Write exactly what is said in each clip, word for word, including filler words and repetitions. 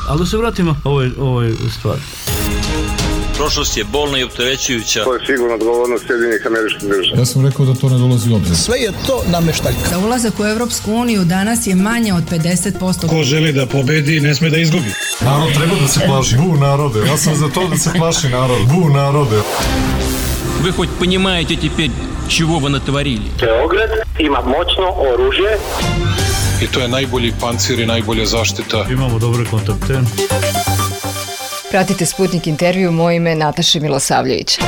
Ali da se vratimo ovoj, ovoj stvari. Prošlost je bolna i opterećujuća. To je sigurno odgovornost Sjedinjenih Američkih Država. Ja sam rekao da to ne dolazi u obzir. Sve je to nameštaljka. Za ulazak u Evropsku uniju danas je manje od pedeset posto. Ko želi da pobedi, ne sme da izgubi. Narod treba da se plaši. Bu narode. Ja sam za to da se plaši narod. Bu narode. Вы хоть понимаете теперь, чего вы натворили? Beograd ima moćno oružje. I to je najbolji pancir i najbolja zaštita. Imamo dobre kontakte. Pratite Sputnik intervju, moje ime je Nataša Milosavljević.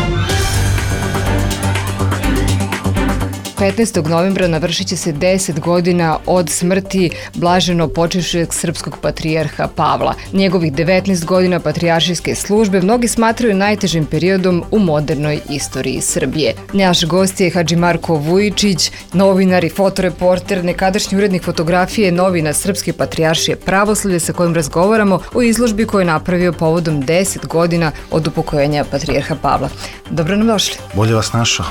petnaestog novembra navršit će se deset godina od smrti blaženo počivšeg srpskog patrijarha Pavla. Njegovih devetnaest godina patrijaršijske službe mnogi smatraju najtežim periodom u modernoj istoriji Srbije. Naš gost je Hadži Marko Vujičić, novinar i fotoreporter, nekadašnji urednik fotografije novina Srpske patrijaršije Pravoslavlje, sa kojim razgovaramo o izložbi koju je napravio povodom deset godina od upokojenja patrijarha Pavla. Dobro nam došli. Bolje vas našao.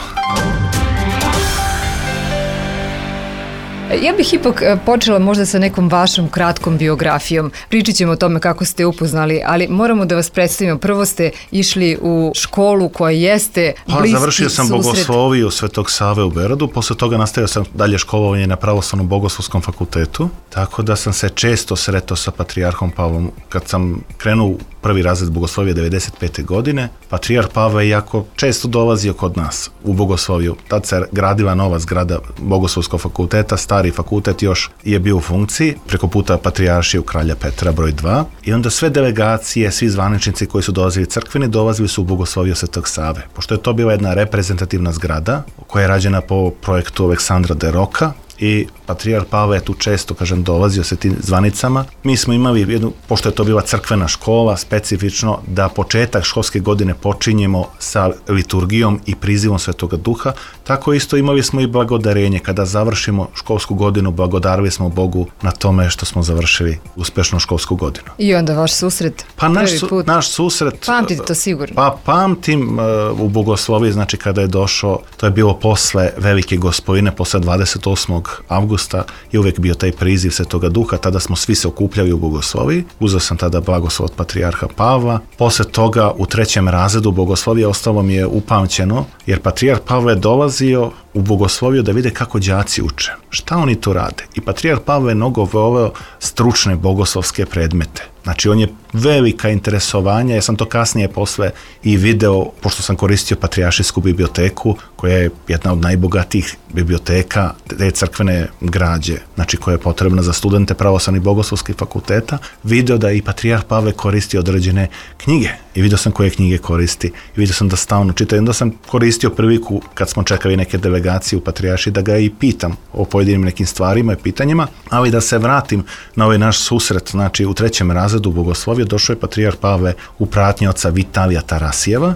Ja bih ipak počela možda sa nekom vašom kratkom biografijom. Pričat ćemo o tome kako ste upoznali, ali moramo da vas predstavimo. Prvo ste išli u školu koja jeste pa, bliski završio sam susret. Bogosloviju Svetog Save u Beogradu, posle toga nastavio sam dalje školovanje na Pravoslavnom bogoslovskom fakultetu, tako da sam se često sretao sa patrijarhom Pavlom. Kad sam krenuo u prvi razred Bogoslovije devedeset pete godine, patrijarh Pavle je jako često dolazio kod nas u Bogosloviju. Tad se gradila nova zgrada Bogoslovskog fakulteta, stari fakultet još je bio u funkciji, preko puta patrijaršije u Kralja Petra broj dva, i onda sve delegacije, svi zvaničnici koji su dolazili crkveni, dolazili su u Bogosloviju Svetog Save. Pošto je to bila jedna reprezentativna zgrada koja je rađena po projektu Aleksandra de Roka, i patrijarh Pavle je tu često, kažem, dolazio sa tim zvanicama. Mi smo imali jednu, pošto je to bila crkvena škola, specifično da početak školske godine počinjemo sa liturgijom i prizivom Svetoga Duha, tako isto imali smo i blagodarenje. Kada završimo školsku godinu, blagodarili smo Bogu na tome što smo završili uspešnu školsku godinu. I onda vaš susret? Pa naš, su, naš susret... Pamtite to sigurno? Pa pamtim uh, u Bogosloviji, znači kada je došao, to je bilo posle Velike Gospodine, posle dvadeset osmog avgusta je uvek bio taj priziv Svetoga Duha, tada smo svi se okupljali u Bogosloviji. Uzeo sam tada blagoslov od patrijarha Pavla. Posle toga u trećem razredu Bogoslovije ostalo mi je upamćeno, jer patrijarh Pavle je dolazio u Bogosloviju da vide kako đaci uče. Šta oni tu rade? I patrijarh Pavle je mnogo voleo stručne bogoslovske predmete. Znači, on je velika interesovanja, ja sam to kasnije posle i video, pošto sam koristio patrijaršijsku biblioteku, koja je jedna od najbogatijih biblioteka te crkvene građe, znači koja je potrebna za studente pravoslavnih bogoslovskih fakulteta, video da i patrijarh Pavle koristi određene knjige. I video sam koje knjige koristi. I video sam da stalno čita. I onda sam koristio priliku, kad smo čekali neke delegacije u patrijaršiji, da ga i pitam o pojedinim nekim stvarima i pitanjima, ali da se vratim na ovaj naš susret. Znači, u trećem razredu Bogoslovije došao je patrijarh Pavle u pratnji oca Vitalija Tarasijeva,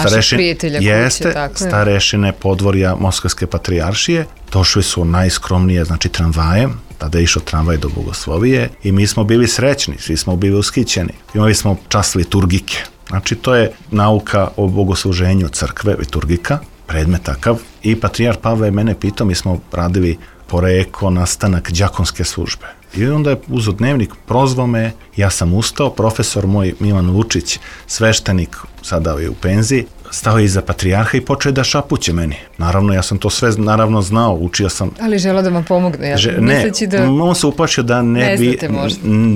starešin, jeste, tako starešine podvorja Moskovske patrijaršije. Došli su najskromnije, znači tramvaje, tada je išao tramvaj do Bogoslovije i mi smo bili srećni, svi smo bili ushićeni. Imali smo čas liturgike. Znači, to je nauka o bogosluženju crkve, liturgika, predmet takav. I patrijarh Pavle je mene pitao, mi smo radili poreko, nastanak đakonske službe. I onda je uzeo dnevnik, prozvao me, ja sam ustao, profesor moj Milan Vučić, sveštenik, sada je u penziji, stao je iza patrijarha i počeo da šapuće meni. Naravno, ja sam to sve naravno znao, učio sam. Ali želeo da vam pomogne, ja Že, ne, da... on se uplašio da ne, ne bi,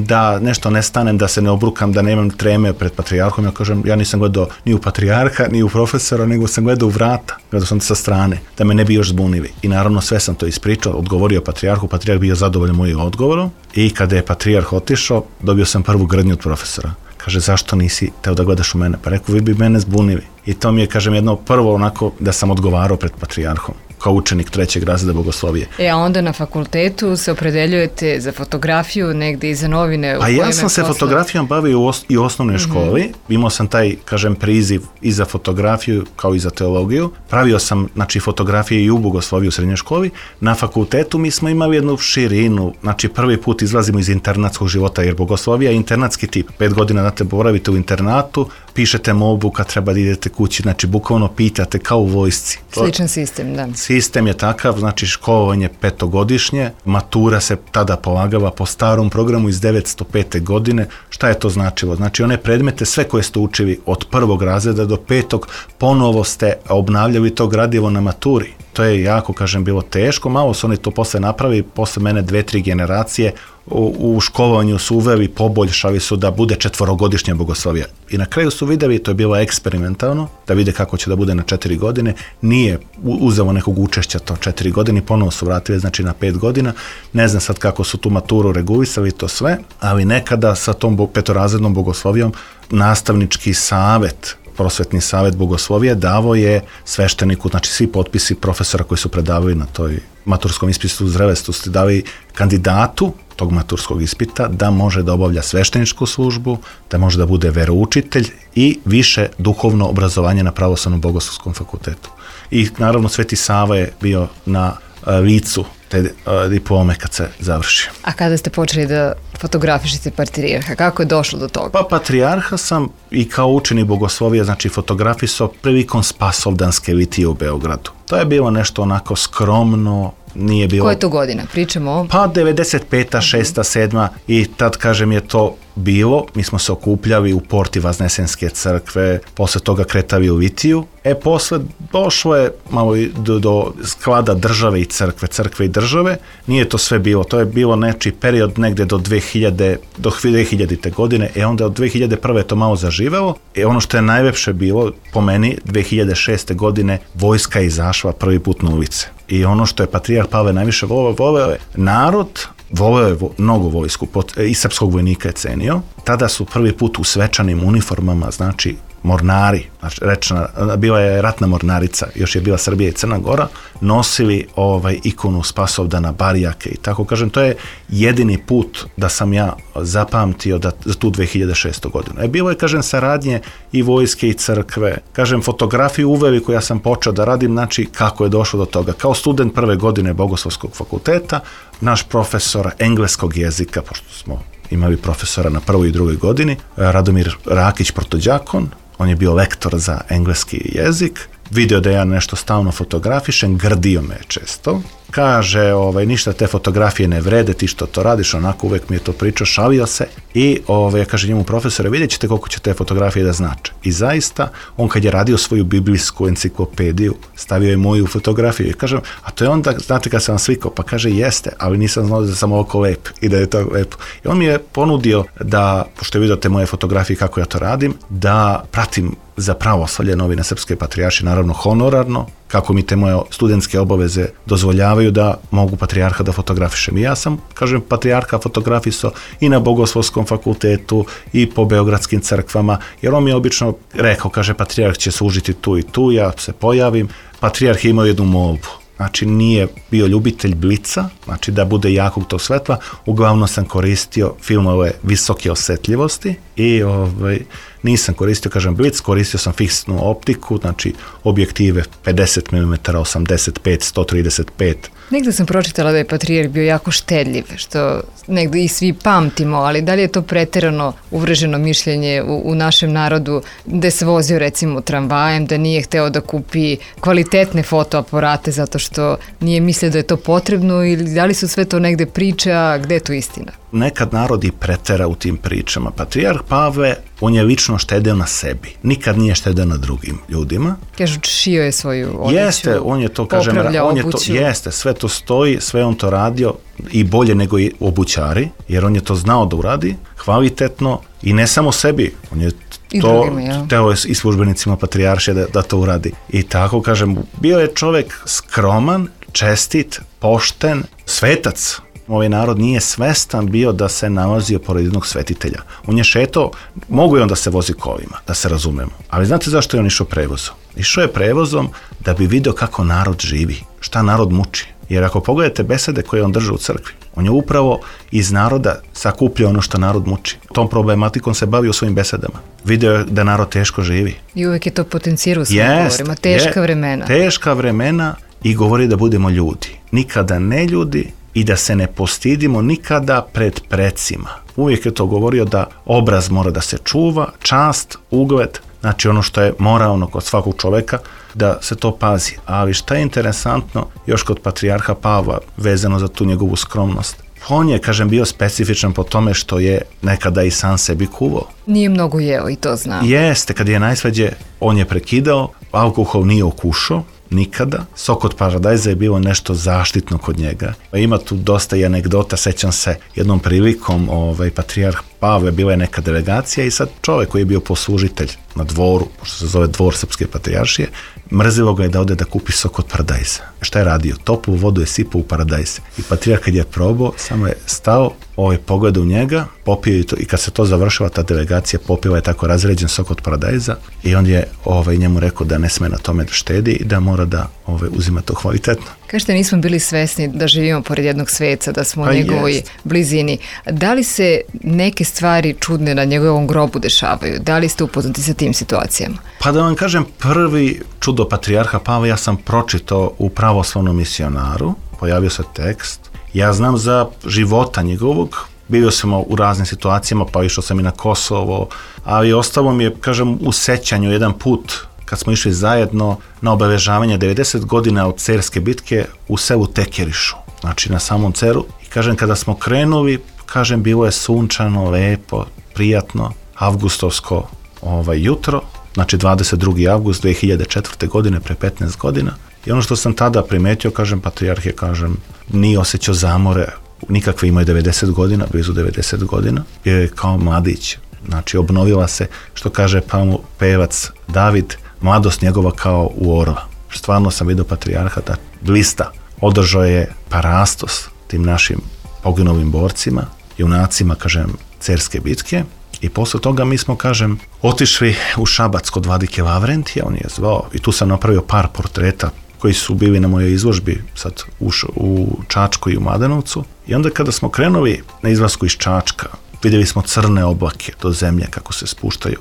da nešto ne stanem, da se ne obrukam, da nemam treme pred patrijarhom. Ja kažem, ja nisam gledao ni u patrijarha, ni u profesora, nego sam gledao u vrata, gledao sam sa strane, da me ne bi još zbunili. I naravno sve sam to ispričao, odgovorio patrijarhu, patrijarh bio zadovoljan mojim odgovorom i kada je patrijarh otišao, dobio sam prvu grdnju od profesora. Kaže, zašto nisi teo da gledaš u mene? Pa rekao, vi bi mene zbunili. I to mi je, kažem, jedno prvo onako da sam odgovarao pred patrijarhom, kao učenik trećeg razreda Bogoslovije. E, a onda na fakultetu se opredeljujete za fotografiju, negde i za novine? A ja sam se posla... fotografijom bavio u os- i u osnovnoj školi. Mm-hmm. Imao sam taj, kažem, priziv i za fotografiju kao i za teologiju. Pravio sam, znači, fotografije i u Bogosloviji u srednjoj školi. Na fakultetu mi smo imali jednu širinu. Znači, prvi put izlazimo iz internatskog života, jer Bogoslovija je internatski tip. Pet godina, znate, boravite u internatu, pišete molbu kad treba da idete kući, znači bukvalno pitate kao u vojsci. Sličan sistem, da. Sistem je takav, znači školovanje petogodišnje, matura se tada polagava po starom programu iz devetsto pete godine. Šta je to značilo? Znači one predmete, sve koje ste učili od prvog razreda do petog, ponovo ste obnavljali to gradivo na maturi. To je jako, kažem, bilo teško, malo su oni to posle napravi, posle mene dve, tri generacije, u, u školovanju su uveli, poboljšali su da bude četvorogodišnja bogoslovija. I na kraju su vidjeli, to je bilo eksperimentalno, da vide kako će da bude na četiri godine, nije uzelo nekog učešća to četiri godine, ponovo su vratili, znači na pet godina, ne znam sad kako su tu maturu regulisali to sve, ali nekada sa tom petorazrednom bogoslovijom nastavnički savet, prosvetni savjet bogoslovije davo je svešteniku, znači svi potpisi profesora koji su predavali na toj maturskom ispitu u Zrevestu ste dali kandidatu tog maturskog ispita da može da obavlja svešteničku službu, da može da bude veroučitelj i više duhovno obrazovanje na pravoslavnom bogoslovskom fakultetu. I naravno Sveti Sava je bio na licu te diplome kad se završi. A kada ste počeli da fotografišete patrijarha, kako je došlo do toga? Pa patrijarha sam i kao učenik bogoslovija, znači fotografisao prilikom Spasovdanske litije u Beogradu. To je bilo nešto onako skromno, nije bilo... Koje to godina? Pričamo o... Pa devedeset peta, šesta, sedma i tad, kažem, je to bilo. Mi smo se okupljali u porti Vaznesenske crkve, posle toga kretali u litiju. E, posle došlo je malo do, do sklada države i crkve, crkve i države. Nije to sve bilo. To je bilo nečiji period negde do dve hiljade, do dve hiljadite godine. E, onda od dve hiljade prve je to malo zaživelo. E, ono što je najlepše bilo, po meni, dve hiljade šeste godine vojska je izašla prvi put na ulice. I ono što je patrijarh Pavle najviše voleo, voleo je narod, voleo je vo, mnogo vojsku, pot, i srpskog vojnika je cenio. Tada su prvi put u svečanim uniformama, znači mornari, znači rečena, bila je ratna mornarica, još je bila Srbija i Crna Gora, nosili ovaj ikonu Spasovdana, barijake i tako, kažem, to je jedini put da sam ja zapamtio da, za tu dve hiljade šestu godinu. E, bilo je, kažem, saradnje i vojske i crkve, kažem, fotografiju uveli koju ja sam počeo da radim, znači kako je došlo do toga. Kao student prve godine Bogoslovskog fakulteta, naš profesor engleskog jezika, pošto smo imali profesora na prvoj i drugoj godini, Radomir Rakić Protođakon, on je bio lektor za engleski jezik, video da ja nešto stalno fotografišem, grdio me često, kaže, ovaj, ništa te fotografije ne vrede, ti što to radiš, onako uvek mi je to pričao, šalio se i ovaj, kaže njemu profesore, vidjet ćete koliko će te fotografije da znače. I zaista, on kad je radio svoju biblijsku enciklopediju, stavio je moju fotografiju i kažem, a to je onda, znate kad sam vam slikao, pa kaže jeste, ali nisam znao da sam ovako lep i da je to lepo. I on mi je ponudio da, pošto je vidio te moje fotografije kako ja to radim, da pratim za pravoslavlje novine Srpske patrijaršije, naravno honorarno, kako mi te moje studentske obaveze dozvoljavaju da mogu patrijarha da fotografišem. I ja sam, kažem, patrijarha fotografisao i na Bogoslovskom fakultetu i po beogradskim crkvama, jer on mi je obično rekao, kaže, patrijarh će služiti tu i tu, ja se pojavim. Patrijarh je imao jednu molbu. Znači nije bio ljubitelj blica, znači da bude jakog tog svetla, uglavnom sam koristio filmove visoke osjetljivosti i ovaj, nisam koristio, kažem, blic, koristio sam fiksnu optiku, znači objektive pedeset milimetara, osamdeset pet, sto trideset pet. Negde sam pročitala da je patrijarh bio jako štedljiv, što negde i svi pamtimo, ali da li je to preterano uvreženo mišljenje u, u našem narodu, da se vozio recimo tramvajem, da nije hteo da kupi kvalitetne fotoaparate zato što nije mislio da je to potrebno, ili da li su sve to negde priče, a gde je tu istina? Nekad narod i pretera u tim pričama. Patrijarh Pavle, on je lično štedeo na sebi. Nikad nije štedeo na drugim ljudima. Kažu, šio je svoju odjeću, jeste, on je to, kažem, on je to, jeste, sve to stoji, sve on to radio i bolje nego i obućari, jer on je to znao da uradi, kvalitetno i ne samo sebi, on je I to drugima, ja. teo je i službenicima patrijaršije da, da to uradi. I tako, kažem, bio je čovjek skroman, čestit, pošten, svetac. Ovaj narod nije svestan bio da se nalazio pored jednog svetitelja. On je šetao, mogu je on da se vozi kolima, da se razumemo. Ali znate zašto je on išao prevozom? Išao je prevozom da bi video kako narod živi, šta narod muči. Jer ako pogledate besede koje on drži u crkvi, on je upravo iz naroda sakupljao ono što narod muči. Tom problematikom se bavio u svojim besedama. Video je da narod teško živi. I uvek je to potencirao u svojim govorima. Teška je, vremena. Teška vremena i govori da budemo ljudi. Nikada ne ljudi i da se ne postidimo nikada pred precima. Uvijek je to govorio da obraz mora da se čuva, čast, ugled, znači ono što je moralno kod svakog čoveka, da se to pazi. Ali šta je interesantno još kod patrijarha Pavla vezano za tu njegovu skromnost? On je, kažem, bio specifičan po tome što je nekada i sam sebi kuvao. Nije mnogo jeo i to znam. Jeste, kad je najsveđe, on je prekidao, alkohol nije okušao, nikada. Sok od paradajza je bilo nešto zaštitno kod njega. Ima tu dosta i anegdota, sećam se jednom prilikom, ovaj, patrijarh Pavle, bila je neka delegacija i sad čovjek koji je bio poslužitelj na dvoru, pošto se zove dvor Srpske patrijaršije, mrzilo ga je da ode da kupi sok od paradajza. Šta je radio? Toplu vodu je sipao u paradajz. I patrijarh kad je probao, samo je stao, ovaj, pogledao u njega, popio i, to, i kad se to završila, ta delegacija popila je tako razređen sok od paradajza i on je ovaj, njemu rekao da ne sme na tome da štedi i da mora da ovaj, uzima to kvalitetno. Kažete, nismo bili svesni da živimo pored jednog sveca, da smo u pa njegovoj jest. blizini. Da li se neke stvari čudne na njegovom grobu dešavaju? Da li ste upoznati sa tim situacijama? Pa da vam kažem, prvi čudo patrijarha Pavla ja sam pročitao u Pravoslavnom misionaru, pojavio se tekst. Ja znam za života njegovog, bio sam u raznim situacijama, pa išao sam i na Kosovo, ali ostalo mi je, kažem, u sećanju jedan put kad smo išli zajedno na obeležavanje devedeset godina od Cerske bitke u selu Tekerišu, znači na samom Ceru. I kažem, kada smo krenuli, kažem, bilo je sunčano, lepo, prijatno, avgustovsko ovaj, jutro, znači dvadeset drugi avgust dve hiljade četvrte. godine, pre petnaest godina. I ono što sam tada primetio, kažem, patrijarh je, kažem, nije osjećao zamore, nikakve, imao je devedeset godina, blizu devedeset godina, je kao mladić. Znači, obnovila se, što kaže Pavlu pevac David, mladost njegova kao u orla. Stvarno sam vidio patrijarha da blista, održao je parastos tim našim poginulim borcima, junacima, kažem, Cerske bitke. I posle toga mi smo, kažem, otišli u Šabac kod vladike Lavrentija, on je zvao i tu sam napravio par portreta koji su bili na mojoj izložbi sad u, u Čačku i u Mladenovcu. I onda kada smo krenuli na izlasku iz Čačka, vidjeli smo crne oblake do zemlje kako se spuštaju.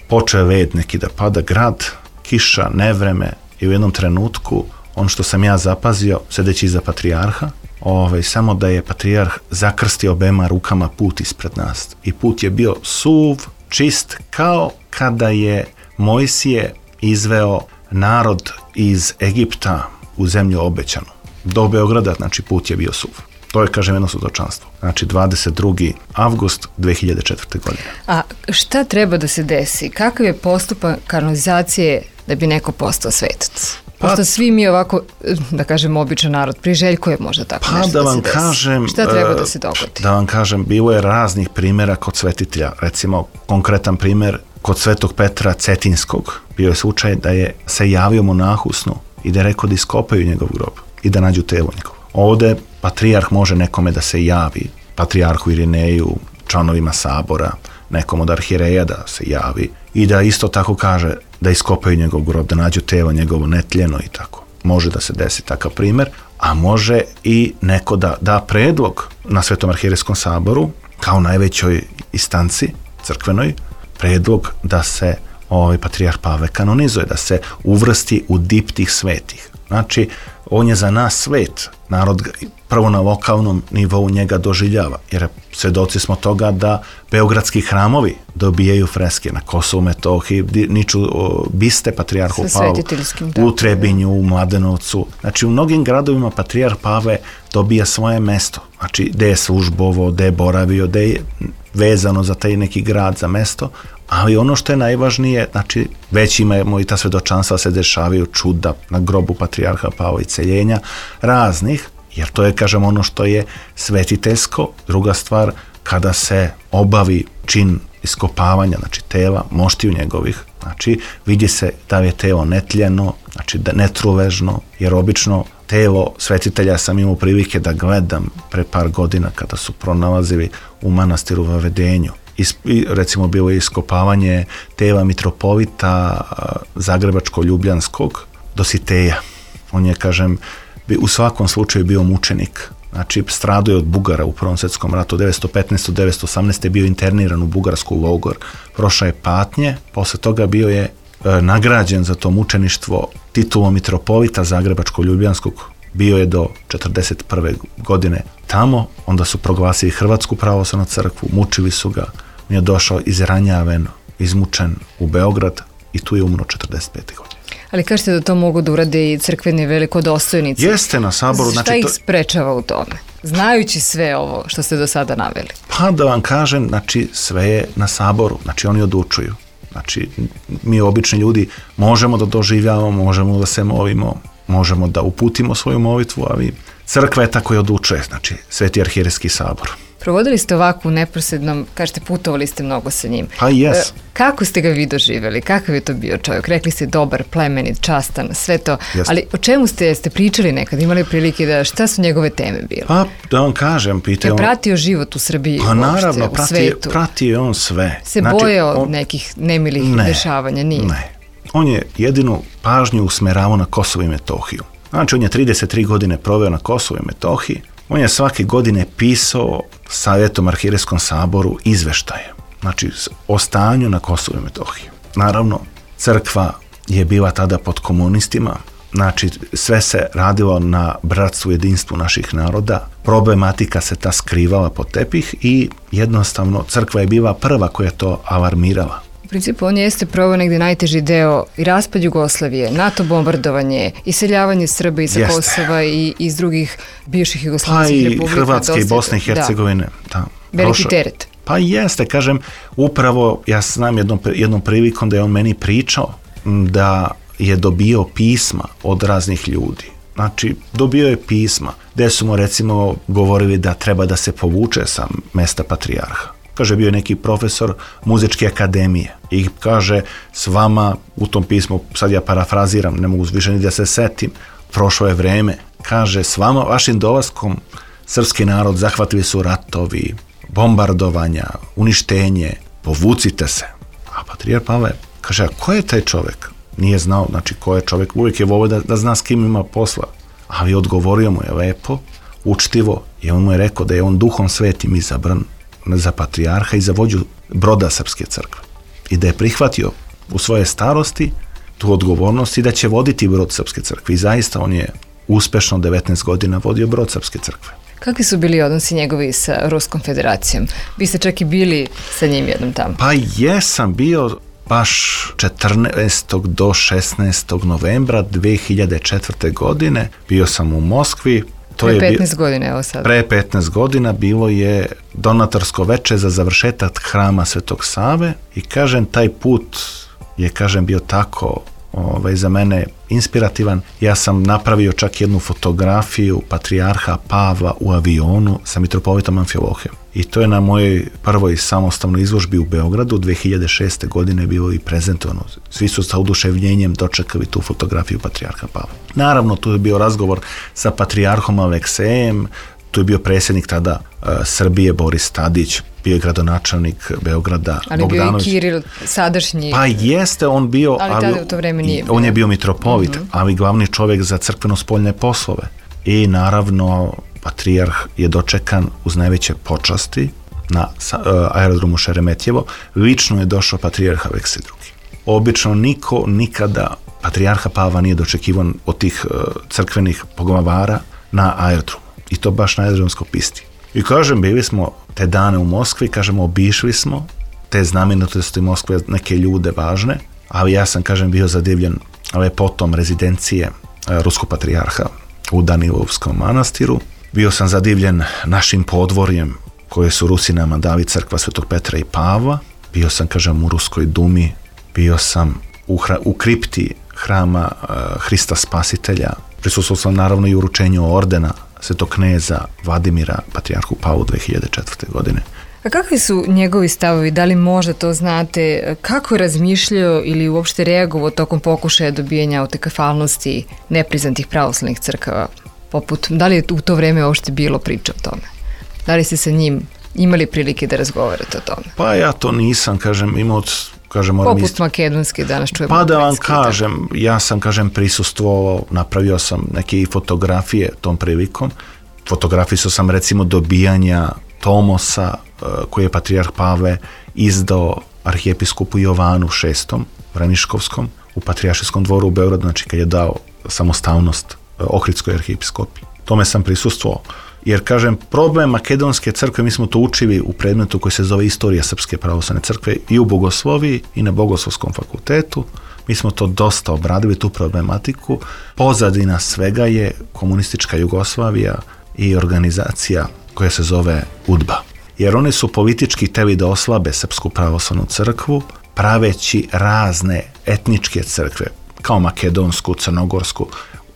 Počeo je led neki da pada, grad, kiša, nevreme i u jednom trenutku, ono što sam ja zapazio, sedeći iza patrijarha, ovaj, samo da je patrijarh zakrstio obema rukama put ispred nas. I put je bio suv, čist, kao kada je Mojsije izveo narod iz Egipta u zemlju obećanu. Do Beograda, znači, put je bio suv. To je, kažem, jedno svjedočanstvo. Znači, dvadeset drugi avgust dve hiljade četvrte. godine. A šta treba da se desi? Kakav je postupak kanonizacije da bi neko postao svetac? Pošto pa, svi mi ovako, da kažem, običan narod, priželjkuje možda tako pa nešto da, da vam se desi. Kažem, šta treba da se dogodi? Da vam kažem, bilo je raznih primjera kod svetitelja. Recimo, konkretan primjer, kod Svetog Petra Cetinskog bio je slučaj da je se javio monahu u snu i da je rekao da iskopaju njegov grob i da nađu telo njegovo. Ovde patrijarh može nekome da se javi, patrijarhu Irineju, članovima sabora, nekom od arhijereja da se javi i da isto tako kaže da iskopaju njegov grob, da nađu telo njegovo netljeno i tako. Može da se desi takav primjer, a može i neko da da predlog na Svetom arhijerejskom saboru, kao najvećoj instanci crkvenoj, predlog da se ovaj patrijarh Pavle kanonizuje, da se uvrsti u diptih svetih. Znači, on je za nas svet, narod prvo na lokalnom nivou njega doživljava, jer svedoci smo toga da beogradski hramovi dobijaju freske na Kosovu, Metohiji, niču o, biste patrijarhu Pavlu, u Trebinju, u Mladenovcu. Znači, u mnogim gradovima patrijarh Pavle dobija svoje mesto, znači, gde je službovo, gde je boravio, gde je vezano za taj neki grad, za mesto, ali ono što je najvažnije, znači, već imamo i ta svedočanstva, se dešavaju čuda na grobu patrijarha Pavla i celjenja raznih, jer to je, kažem, ono što je svetiteljsko. Druga stvar, kada se obavi čin iskopavanja, znači tela, moštiju njegovih, znači vidi se da je telo netljeno, znači da netruležno, jer obično telo svetitelja sam imao prilike da gledam pre par godina kada su pronalazili u manastiru u Vavedenju. I, recimo, bilo je iskopavanje tela mitropolita Zagrebačko-Ljubljanskog Dositeja. On je, kažem, u svakom slučaju bio mučenik. Znači, stradao je od Bugara u Prvom svjetskom ratu. devetsto petnaeste do devetsto osamnaeste. bio interniran u bugarsku logor. Prošao je patnje. Posle toga bio je e, nagrađen za to mučeništvo titulom mitropolita Zagrebačko-Ljubljanskog. Bio je do četrdeset prve. godine tamo. Onda su proglasili Hrvatsku pravoslavnu crkvu. Mučili su ga. On je došao izranjaven, izmučen u Beograd i tu je umro četrdeset pete godine. Ali kažete da to mogu da urade i crkveni velikodostojnici. Jeste na saboru. Šta znači, ih to... sprečava u tome? Znajući sve ovo što ste do sada naveli. Pa da vam kažem, znači sve je na saboru, znači oni odlučuju. Znači mi obični ljudi možemo da doživljavamo, možemo da se molimo, možemo da uputimo svoju molitvu, ali crkva je tako i odlučuje, znači Sveti arhierejski sabor. Provodili ste ovako u neposrednom, kažete putovali ste mnogo sa njim. Pa jes. E, kako ste ga vi doživjeli? Kakav je to bio čovjek? Rekli ste dobar, plemenit, častan, sve to. Jest. Ali o čemu ste, ste pričali nekad? Imali prilike da, šta su njegove teme bile? Pa da vam kažem, pitao... Je pratio život u Srbiji pa, uopšte, naravno, u prati, svetu? Pratio je on sve. Se znači, bojao on... nekih nemilih ne, dešavanja? Nije? Ne. On je jedinu pažnju usmeravao na Kosovo i Metohiju. Znači on je trideset tri godine proveo na Kosovo i Metohiji. On je svake godine pisao Savjetom arhierejskom saboru izveštaje, znači o stanju na Kosovu i Metohiji. Naravno, crkva je bila tada pod komunistima, znači sve se radilo na bratstvu, jedinstvu naših naroda, problematika se ta skrivala pod tepih i jednostavno crkva je bila prva koja je to alarmirala. U principu on jeste proveo negdje najteži deo i raspad Jugoslavije, NATO bombardovanje, iseljavanje Srba iz Jeste. Kosova i iz drugih bivših Pa jugoslavenskih i republika. Hrvatske i dosta- Bosne i Hercegovine. Da. Da, Veliki prošao- teret. Pa jeste, kažem, upravo ja znam jednom, jednom prilikom da je on meni pričao m, da je dobio pisma od raznih ljudi. Znači, dobio je pisma gdje su mu recimo govorili da treba da se povuče sa mesta patrijarha. Kaže, bio je neki profesor muzičke akademije i kaže, s vama u tom pismu, sad ja parafraziram, ne mogu više ni da se setim, prošlo je vreme, kaže, s vama, vašim dolaskom, srpski narod zahvatili su ratovi, bombardovanja, uništenje, povucite se. A patrijar Pavle kaže, a ko je taj čovjek? Nije znao, znači ko je čovjek, uvijek je volio da, da zna s kim ima posla. Ali odgovorio mu je lepo, učtivo, i on mu je rekao da je on duhom svetim izabran za patrijarha i za vođu broda Srpske crkve. I da je prihvatio u svoje starosti tu odgovornost i da će voditi brod Srpske crkve. I zaista on je uspešno devetnaest godina vodio brod Srpske crkve. Kakvi su bili odnosi njegovi sa Ruskom federacijom? Vi ste čak i bili sa njim jednom tamo. Pa jesam bio baš četrnaestog do šesnaestog novembra dve hiljade četvrte. godine. Bio sam u Moskvi. To Pre je petnaest bi... godina, evo sad. Pre petnaest godina bilo je donatorsko veče za završetak hrama Svetog Save i kažem, taj put je, kažem, bio tako ovaj, za mene inspirativan. Ja sam napravio čak jednu fotografiju patrijarha Pavla u avionu sa mitropolitom Amfilohijom. I to je na mojoj prvoj samostalnoj izložbi u Beogradu dve hiljade šeste. godine bilo i prezentovano. Svi su sa oduševljenjem dočekali tu fotografiju patrijarha Pavla. Naravno, tu je bio razgovor sa patrijarhom Aleksejem, tu je bio predsjednik tada uh, Srbije Boris Tadić, bio je gradonačelnik Beograda Ali Bogdanović. bio i Kiril, sadašnji... Pa jeste, on bio... Ali tada u to vreme nije bio. On je bio mitropolit, Mm-hmm. ali glavni čovjek za crkveno-spoljne poslove. I naravno, patrijarh je dočekan uz najveće počasti na uh, aerodromu Šeremetjevo. Lično je došao patrijarh Aleksej drugi. Obično niko nikada patrijarha Pavla nije dočekivan od tih uh, crkvenih poglavara na aerodromu. I to baš na aerodromskoj pisti. I kažem, bili smo te dane u Moskvi, kažemo, obišli smo te znamenitosti Moskve, neke ljude važne, ali ja sam, kažem, bio zadivljen lepotom rezidencije uh, ruskog patrijarha u Danilovskom manastiru. Bio sam zadivljen našim podvorjem koje su Rusi nama dali, crkva Svetog Petra i Pavla. Bio sam, kažem, u Ruskoj dumi, bio sam u, hra, u kripti hrama uh, Hrista Spasitelja. Prisustvovao sam naravno i uručenju ordena Svetog kneza Vladimira patrijarhu Pavlu dve hiljade četvrte. godine. A kakvi su njegovi stavovi? Da li možda to znate? Kako je razmišljao ili uopšte reagovao tokom pokušaja dobijanja autekefalnosti nepriznatih pravoslavnih crkava? Poput, da li je u to vreme uopšte bilo priča o tome? Da li ste sa njim imali prilike da razgovarate o tome? Pa ja to nisam, kažem, imao, kažem, moram Poput isti... makedonske, danas čujemo. Pa da vam ukrajinski, kažem, ja sam, kažem, prisustvovao, napravio sam neke i fotografije tom prilikom. Fotografisao sam, recimo, dobijanja Tomosa koji je patrijarh Pavle izdao arhijepiskopu Jovanu šestom. Vraniškovskom u Patrijaršijskom dvoru u Beogradu, znači kad je dao samostalnost Ohridskoj arhijepiskopiji. Tome sam prisustvovao. Jer, kažem, problem Makedonske crkve, mi smo to učili u predmetu koji se zove Istorija Srpske pravoslavne crkve i u Bogosloviji i na Bogoslovskom fakultetu. Mi smo to dosta obradili, tu problematiku. Pozadina svega je komunistička Jugoslavija i organizacija koja se zove UDBA. Jer oni su politički hteli da oslabe Srpsku pravoslavnu crkvu, praveći razne etničke crkve, kao Makedonsku, Crnogorsku.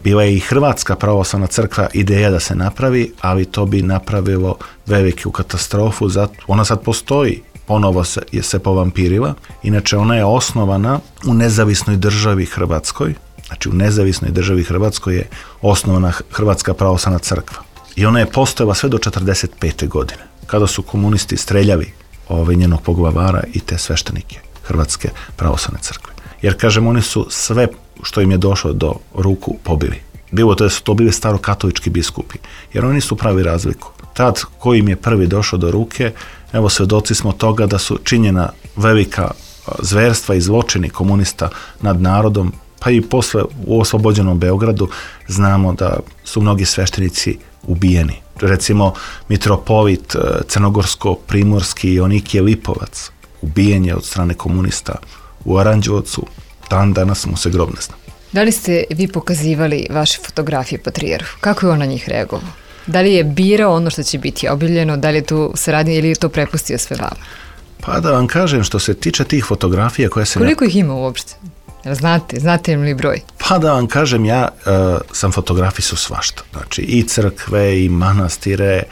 Bila je i Hrvatska pravoslavna crkva ideja da se napravi, ali to bi napravilo veliku katastrofu. Ona sad postoji, ponovo se, je se povampirila. Inače, ona je osnovana u nezavisnoj državi Hrvatskoj. Znači, u nezavisnoj državi Hrvatskoj je osnovana Hrvatska pravoslavna crkva. I ona je postojala sve do četrdeset pete godine, kada su komunisti streljali ovaj njenog poglavara i te sveštenike Hrvatske pravoslavne crkve. Jer, kažem, oni su sve što im je došlo do ruku pobili. Bilo to da su to bili starokatolički biskupi, jer oni su pravi razliku. Tad, koji im je prvi došao do ruke, evo, svedoci smo toga da su činjena velika zverstva i zločini komunista nad narodom, pa i posle u oslobođenom Beogradu znamo da su mnogi sveštenici ubijeni. Recimo, mitropolit crnogorsko-primorski Jonikije Lipovac ubijen je od strane komunista u Aranđelovcu, dan danas mu se grob ne zna. Da li ste vi pokazivali vaše fotografije patrijarhu? Kako je on na njih reagovao? Da li je birao ono što će biti objavljeno, da li je tu saradnje ili je to prepustio sve vama? Pa da vam kažem, što se tiče tih fotografija koje se... Koliko ih ima uopšte? Znate, znate li broj? Pa da vam kažem, ja uh, sam fotografisao svašta. Znači, i crkve, i manastire,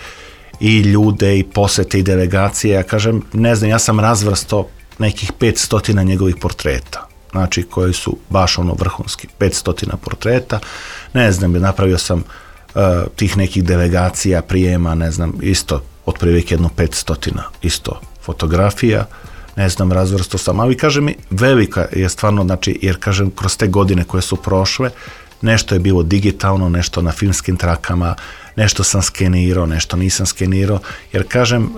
i ljude, i posete, i delegacije. Ja kažem, ne znam, ja sam razvrsto nekih petstotina njegovih portreta. Znači, koji su baš ono vrhunski. petstotina portreta. Ne znam, napravio sam uh, tih nekih delegacija, prijema, ne znam, isto, otprilike jedno petstotina isto fotografija. Ne znam, razvrsto sam, ali kažem mi, velika je stvarno, znači, jer kažem, kroz te godine koje su prošle, nešto je bilo digitalno, nešto na filmskim trakama, nešto sam skenirao, nešto nisam skenirao, jer kažem,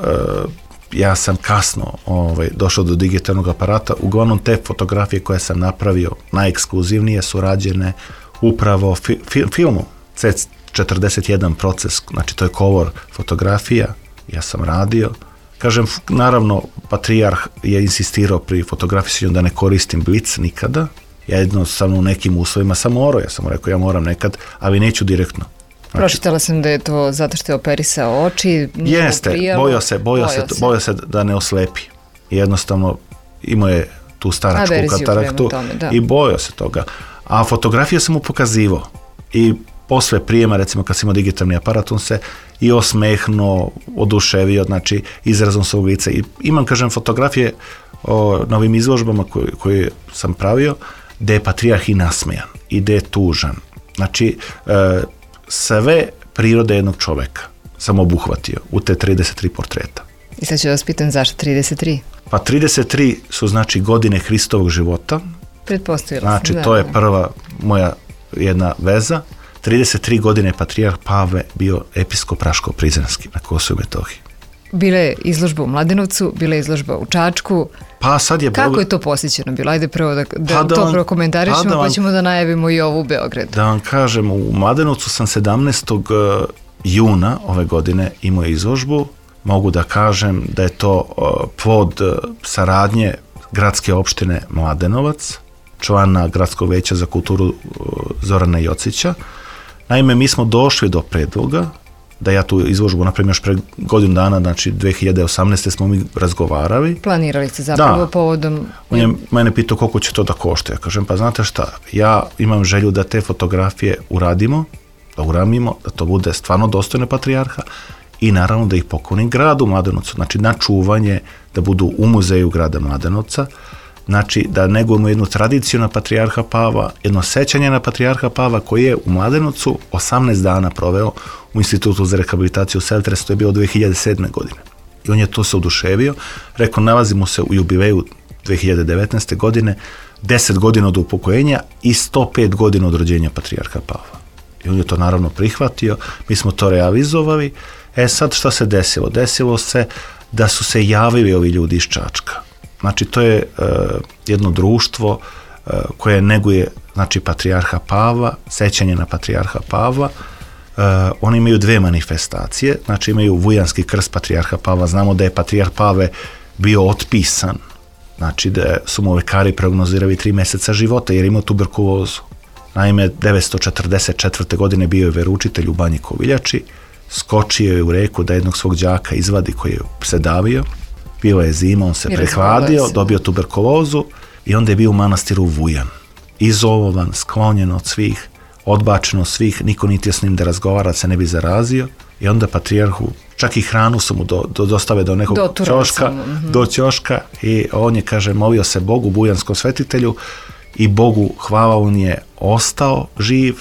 ja sam kasno ovaj, došao do digitalnog aparata, uglavnom te fotografije koje sam napravio, najekskluzivnije su rađene upravo fi, fi, filmu, C četrdeset jedan proces, znači to je color fotografija, ja sam radio. Kažem, naravno, patrijarh je insistirao pri fotografisanju da ne koristim blic nikada. Ja jednostavno u nekim uslovima sam morao, ja sam rekao ja moram nekad, ali neću direktno. Znači, pročitala sam da je to zato što je operisao oči. Jeste, bojao se, bojao se, bojao se da ne oslepi. Jednostavno, imao je tu staračku kataraktu i bojao se toga. A fotografije sam mu pokazivao. I posle prijema, recimo kad sam imao digitalni aparat, on se i osmehnuo, oduševio, znači izrazom svog lica. I imam, kažem, fotografije o, na ovim izložbama koje, koje sam pravio, gde je patrijarh i nasmejan, i gde je tužan. Znači, e, sve prirode jednog čoveka sam obuhvatio u te trideset tri portreta. I sad ću vas pitam zašto trideset tri? Pa trideset tri su, znači, godine Hristovog života. Pretpostavila znači, sam, da. To je prva moja jedna veza. trideset tri godine je patrijarh Pavle bio episkop Raško-Prizrenski na Kosovu i Metohiji. Bila je izložba u Mladenovcu, bila je izložba u Čačku. Pa sad je... Kako je to posjećeno bilo? Ajde prvo da, da, pa da to prokomentarišemo, pa, da vam, pa ćemo da najavimo i ovu u Beogradu. Da vam kažem, u Mladenovcu sam sedamnaestog juna ove godine imao izložbu. Mogu da kažem da je to plod saradnje gradske opštine Mladenovac, člana Gradskog veća za kulturu Zorana Jocića. Naime, mi smo došli do predloga da ja tu izložbu napravim još pre godinu dana, znači dve hiljade osamnaeste smo mi razgovarali. Planirali ste zapravo da. Povodom... On je mene pitao koliko će to da košta. Ja kažem, pa znate šta, ja imam želju da te fotografije uradimo, da uramimo, da to bude stvarno dostojno patrijarha i naravno da ih poklonim gradu Mladenovcu, znači na čuvanje, da budu u muzeju grada Mladenovca, znači da negujemo jednu tradiciju na patrijarha Pavla, jedno sećanje na patrijarha Pavla koji je u Mladenovcu osamnaest dana proveo u Institutu za rehabilitaciju Seltres, to je bilo dve hiljade sedme godine. I on je to se oduševio, rekao, nalazimo se u jubileju dve hiljade devetnaeste godine, deset godina od upokojenja i sto pet godina od rođenja patrijarha Pavla. I on je to naravno prihvatio, mi smo to realizovali. E sad šta se desilo? Desilo se da su se javili ovi ljudi iz Čačka. Znači, to je uh, jedno društvo uh, koje neguje, znači, patrijarha Pavla, sećanje na patrijarha Pavla. Uh, oni imaju dve manifestacije, znači imaju Vujanski krst patrijarha Pavla. Znamo da je patrijarh Pavle bio otpisan, znači da su mu lekari prognozirali tri mjeseca života jer imao tuberkulozu. Naime, devetsto četrdeset četvrte. godine bio je veroučitelj u Banji Koviljači, skočio je u reku da jednog svog đaka izvadi koji je se davio, bila je zima, on se prehladio, dobio tuberkulozu i onda je bio u manastiru Vujan. Izolovan, sklonjen od svih, odbačen od svih, niko niti s njim da razgovara, se ne bi zarazio i onda patrijarhu, čak i hranu su mu do, do, dostave do nekog do ćoška, mm-hmm. do ćoška i on je, kaže, molio se Bogu, bujanskom svetitelju i Bogu hvala, on je ostao živ,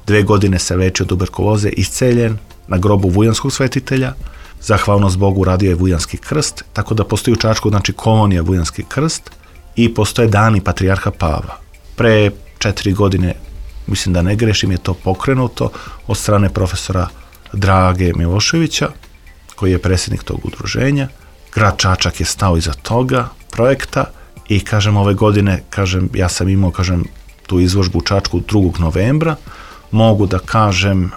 dve godine se lečio tuberkuloze, isceljen na grobu vujanskog svetitelja, zahvalnost Bogu radio je Vujanski krst, tako da postoji u Čačku, znači kolonija Vujanski krst i postoje dani patrijarha Pavla. Pre četiri godine, mislim da ne grešim, je to pokrenuto od strane profesora Drage Miloševića, koji je predsjednik tog udruženja. Grad Čačak je stao iza toga projekta i, kažem, ove godine, kažem, ja sam imao, kažem, tu izložbu u Čačku drugog novembra. Mogu da kažem e,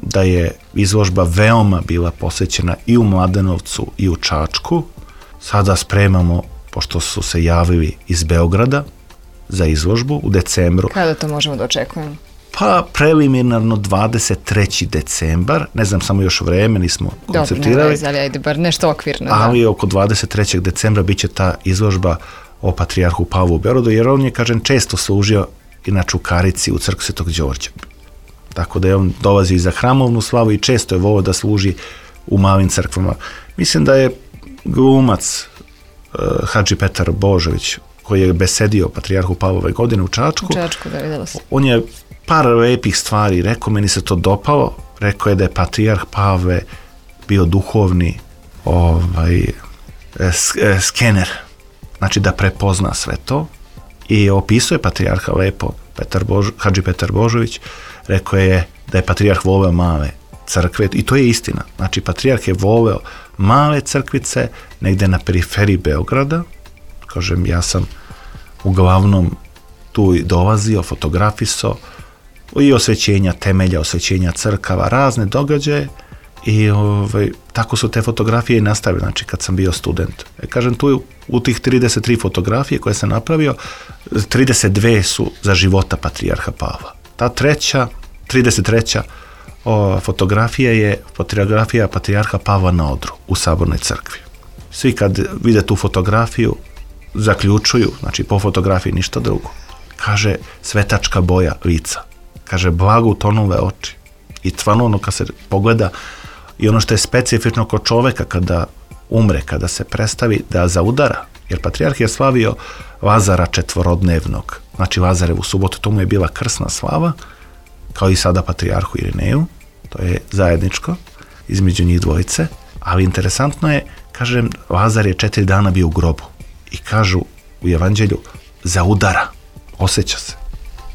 da je izložba veoma bila posvećena i u Mladenovcu i u Čačku. Sada spremamo, pošto su se javili iz Beograda za izložbu u decembru. Kada to možemo da očekujemo? Pa preliminarno dvadeset treći decembar, ne znam samo još vreme, nismo konceptirali. Dobro, ne, ali ajde, bar nešto okvirno. Ali da. Oko dvadeset trećeg decembra bit će ta izložba o patrijarhu Pavlu u Beogradu, jer on je, kažem, često služio inače u Karici, u crkvi Svetog Đorđa. Tako da je on dolazi za hramovnu slavu i često je volio da služi u malim crkvama. Mislim da je glumac uh, Hadži Petar Božović, koji je besedio patrijarhu Pavlove godine u Čačku. U Čačku, da, vidjela sam. On je par lepih stvari rekao, meni se to dopalo. Rekao je da je patrijarh Pavle bio duhovni ovaj, skener, znači da prepozna sve to. I opisuje patrijarha lepo, Petar Bož, Hadži Petar Božović, rekao je da je patrijarh voleo male crkve, i to je istina. Znači, patrijarh je voleo male crkvice, negde na periferiji Beograda. Kažem, ja sam uglavnom tu dolazio, fotografisao i osvećenja temelja, osvećenja crkava, razne događaje i ovaj, tako su te fotografije i nastavile, znači kad sam bio student. E, kažem, tu u tih trideset tri fotografije koje sam napravio, trideset dve su za života patrijarha Pavla. Ta treća, trideset treća o, fotografija je fotografija patrijarha Pavla na odru u Sabornoj crkvi. Svi kad vide tu fotografiju zaključuju, znači po fotografiji ništa drugo. Kaže, svetačka boja lica. Kaže, blago utonule oči. I stvarno ono kad se pogleda i ono što je specifično kod čoveka kada umre, kada se predstavi da zaudara, jer patrijarh je slavio Lazara četvorodnevnog, znači Lazarevu subotu, to mu je bila krsna slava, kao i sada patrijarhu Irineju, to je zajedničko između njih dvojice, ali interesantno je, kažem, Lazar je četiri dana bio u grobu i kažu u evanđelju, zaudara, osjeća se,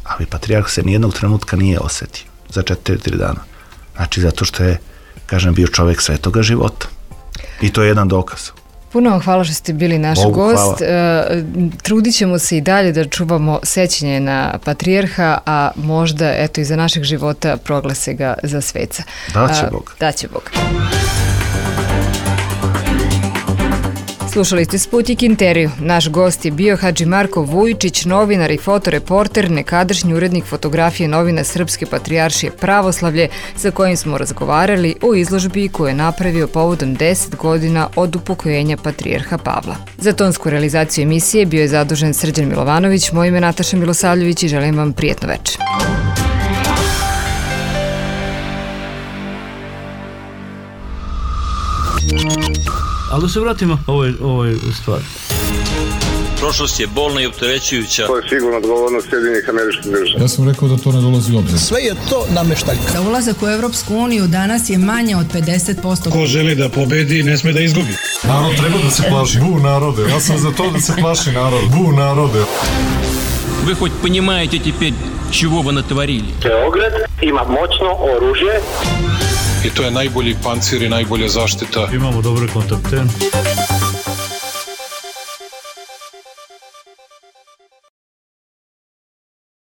ali patrijarh se nijednog trenutka nije osjetio za četiri dana, znači zato što je, kažem, bio čovjek svetoga života i to je jedan dokaz. Puno vam hvala što ste bili naš Bogu gost. E, trudit ćemo se i dalje da čuvamo sećanje na patrijarha, a možda eto i za našeg života proglase ga za sveca. Daće Bog. Daće Bog. Slušali ste Sputnik intervju. Naš gost je bio Hadži Marko Vujičić, novinar i fotoreporter, nekadašnji urednik fotografije novina Srpske patrijaršije Pravoslavlje, sa kojim smo razgovarali o izložbi koju je napravio povodom deset godina od upokojenja patrijarha Pavla. Za tonsku realizaciju emisije bio je zadužen Srđan Milovanović, moje ime je Nataša Milosavljević i želim vam prijetno večer. Ali da se vratimo ovoj, ovoj stvari. Prošlost je bolna i opterećujuća. To je sigurno odgovornost Sjedinjenih Američkih Država. Ja sam rekao da to ne dolazi u obzir. Sve je to nameštaljka. Za ulazak u Evropsku uniju danas je manje od pedeset posto. Ko želi da pobedi, ne sme da izgubi. Narod treba da se plaši. Bu narode. Ja sam za to da se plaši narod. Bu narode. Вы хоть понимаете теперь, чего вы натворили? Beograd ima moćno oružje. I to je najbolji pancir i najbolja zaštita. Imamo dobre kontakte.